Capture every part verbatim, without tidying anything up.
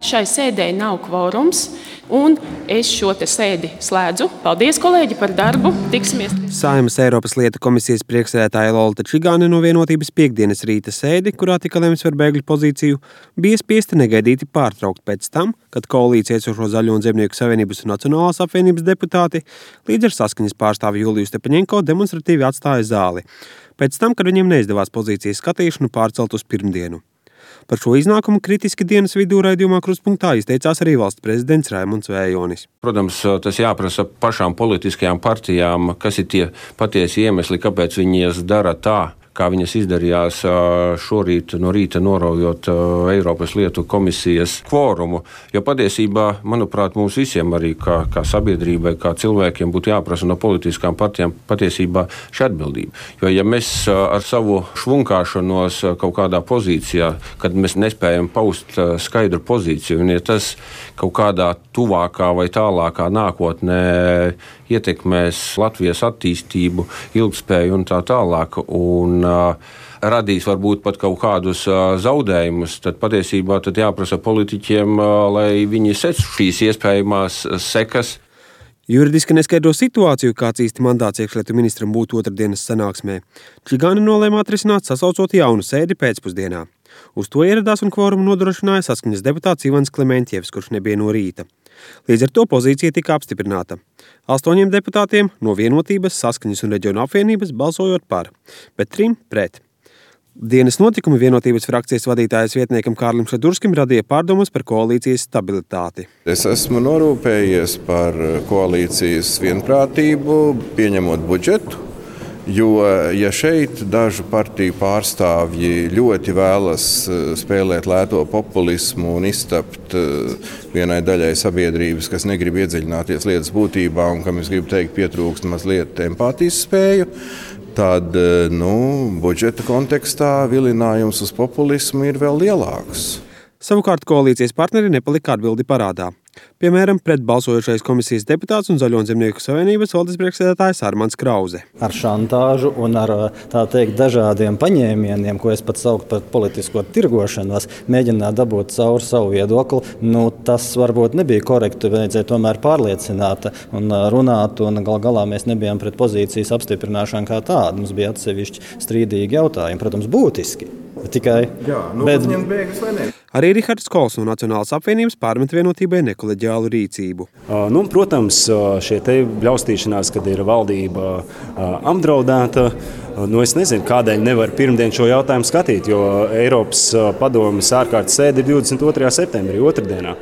Šai sēdēji nav kvorums, un es šo te sēdi slēdzu. Paldies, kolēģi, par darbu. Tiksimies. Saeimas Eiropas lietu komisijas priekšsēdētāja Lolita Čigāne no Vienotības piekdienas rīta sēdi, kurā tika lemts par bēgļu pozīciju, bija spiesti negaidīti pārtraukt pēc tam, kad koalīcija esošo Zaļo un Zemnieku savienības un Nacionālās apvienības deputāti līdz ar Saskaņas pārstāvi Juliju Stepaņenko demonstratīvi atstāja zāli. Pēc tam, kad viņiem neizdevās pozīcijas skatīšanu pārcelt uz pirmdienu. Par šo iznākumu kritiski dienas vidū raidījumā Krustpunktā izteicās arī valsts prezidents Raimunds Vējonis. Protams, tas jāprasa pašām politiskajām partijām, kas ir tie patiesi iemesli, kāpēc viņas dara tā, kā viņas izdarījās šorīt no rīta noraujot Eiropas lietu komisijas kvorumu. Jo patiesībā, manuprāt, mums visiem arī kā, kā sabiedrībai, kā cilvēkiem būtu jāprasa no politiskām partijām patiesībā šī atbildība. Jo ja mēs ar savu švunkāšanos kaut kādā pozīcijā, kad mēs nespējam paust skaidru pozīciju, un ja tas kaut kādā tuvākā vai tālākā nākotnē ietekmēs Latvijas attīstību, ilgspēju un tā tālāk, un uh, radīs varbūt pat kaut kādus uh, zaudējumus, tad patiesībā tad jāprasa politiķiem, uh, lai viņi sec šīs iespējamās sekas. Juridiski neskaidro situāciju, kāds īsti mandāts iekšlietu ministram būtu otrdienas sanāksmē. Čigāne nolēma atrisināt, sasaucot jaunu sēdi pēcpusdienā. Uz to ieradās un kvorumu nodrošināja Saskaņas deputāts Ivans Klementjevs, kurš nebija no rīta. Līdz ar to pozīcija tika apstiprināta. Astoņiem deputātiem no Vienotības, Saskaņas un Reģionu apvienības balsojot par, bet trim pret. Dienas notikumi Vienotības frakcijas vadītājas vietniekam Kārlim Šadurskim radīja pārdomas par koalīcijas stabilitāti. Es esmu norūpējies par koalīcijas vienprātību, pieņemot budžetu. Jo, ja šeit dažu partiju pārstāvji ļoti vēlas spēlēt lēto populismu un iztapt vienai daļai sabiedrības, kas negrib iedziļināties lietas būtībā un kam es gribu teikt pietrūkst mazliet empātijas spēju, tad nu, budžeta kontekstā vilinājums uz populismu ir vēl lielāks. Savukārt koalīcijas partneri nepalika atbildi parādā. Piemēram, pret balsojošais komisijas deputāts un Zaļo un Zemnieku savienības valdes priekšsēdētājs Armands Krauze. Ar šantāžu un ar tā teikt dažādiem paņēmieniem, ko es pat sauktu par politisko tirgošanos, mēģināt dabūt cauri savu viedokli, nu, tas varbūt nebija korekti, vajadzēja tomēr pārliecināt un runāt, un gal galā mēs nebijām pret pozīcijas apstiprināšanu kā tādu. Mums bija atsevišķi strīdīgi jautājumi, protams, būtiski. Tikai, Jā, nu, bet... bēgas vai ne? Arī Rihards Kols no Nacionālās apvienības pārmet Vienotībai nekoleģiālu rīcību. Uh, nu, protams, šie te bļaustīšanās, kad ir valdība uh, apdraudēta, uh, nu, es nezinu, kādēļ nevar pirmdien šo jautājumu skatīt, jo Eiropas uh, padomes ārkārtas sēde ir divdesmit otrajā septembrī, otrdienā.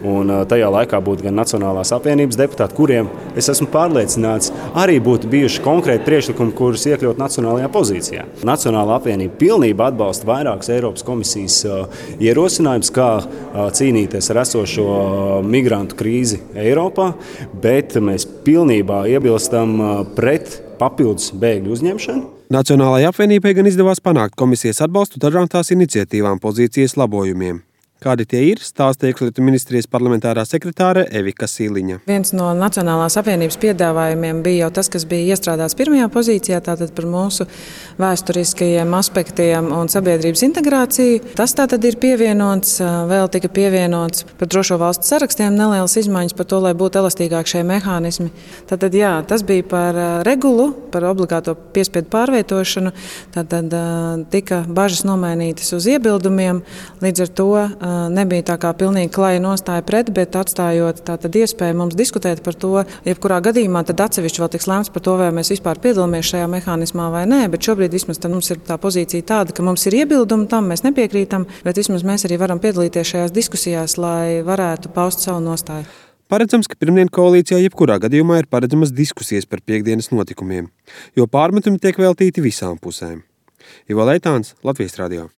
Un tajā laikā būtu gan Nacionālās apvienības deputāti, kuriem, es esmu pārliecināts, arī būtu bijuši konkrēti priekšlikumi, kurus iekļaut nacionālajā pozīcijā. Nacionālā apvienība pilnībā atbalsta vairākus Eiropas komisijas ierosinājumus, kā cīnīties ar esošo migrantu krīzi Eiropā, bet mēs pilnībā iebilstam pret papildus bēgļu uzņemšanu. Nacionālajai apvienībai gan izdevās panākt komisijas atbalstu dažām tās iniciatīvām pozīcijas labojumiem. Kādi tie ir, stāsta iekšlietu ministrijas parlamentārā sekretāre Evika Sīliņa. Viens no Nacionālās apvienības piedāvājumiem bija jau tas, kas bija iestrādāts pirmajā pozīcijā, tātad par mūsu vēsturiskajiem aspektiem un sabiedrības integrāciju. Tas tātad ir pievienots, vēl tika pievienots par drošo valstu sarakstiem nelielas izmaiņas par to, lai būtu elastīgāk šie mehānismi. Tātad jā, tas bija par regulu, par obligāto piespiedu pārvietošanu, tātad tika bažas nomainītas uz iebildumiem, līdz ar to nebija tā kā pilnīgi klaja nostāja pret, bet atstājot tātad iespēju mums diskutēt par to, jebkurā gadījumā tad atsevišķi vēl tiks lēmts par to, vai mēs vispār piedalāmies šajā mehānismā vai nē, bet šobrīd vismaz mums ir tā pozīcija tāda, ka mums ir iebildumi tam, mēs nepiekrītam, bet vismaz mēs arī varam piedalīties šajās diskusijās, lai varētu paust savu nostāju. Paredzams, ka pirmdien koalīcijā jebkurā gadījumā ir paredzamas diskusijas par piekdienas notikumiem, jo pārmetumi tiek veltīti visām pusēm. Ivo Leitāns, Latvijas radio.